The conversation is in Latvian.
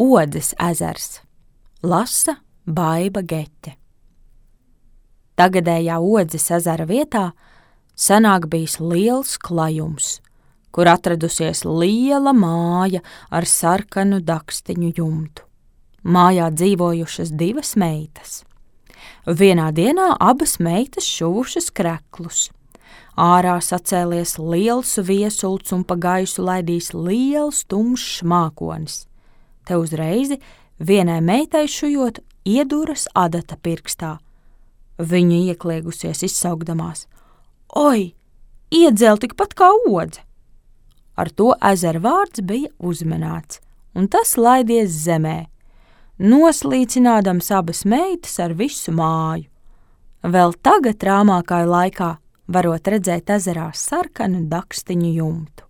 Odzes ezers. Lasa Baiba Gete. Tagadējā Odzes ezera vietā senāk bijis liels klajums, kur atradusies liela māja ar sarkanu dakstiņu jumtu. Mājā dzīvojušas 2 meitas. Vienā dienā abas meitas šuvušas kreklus. Ārā sacēlies liels viesults un pa gaisu laidīs liels tumšs mākonis. Te uzreiz vienai meitai šujot ieduras adata pirkstā. Viņa iekliegusies izsaukdamās: "Oi, iedzēl tikpat kā odze!" Ar to ezera vārds bija uzmanāts, un tas laidies zemē, noslīcinādams abas meitas ar visu māju. Vēl tagad rāmākā laikā varot redzēt ezerā sarkanu dakstiņu jumtu.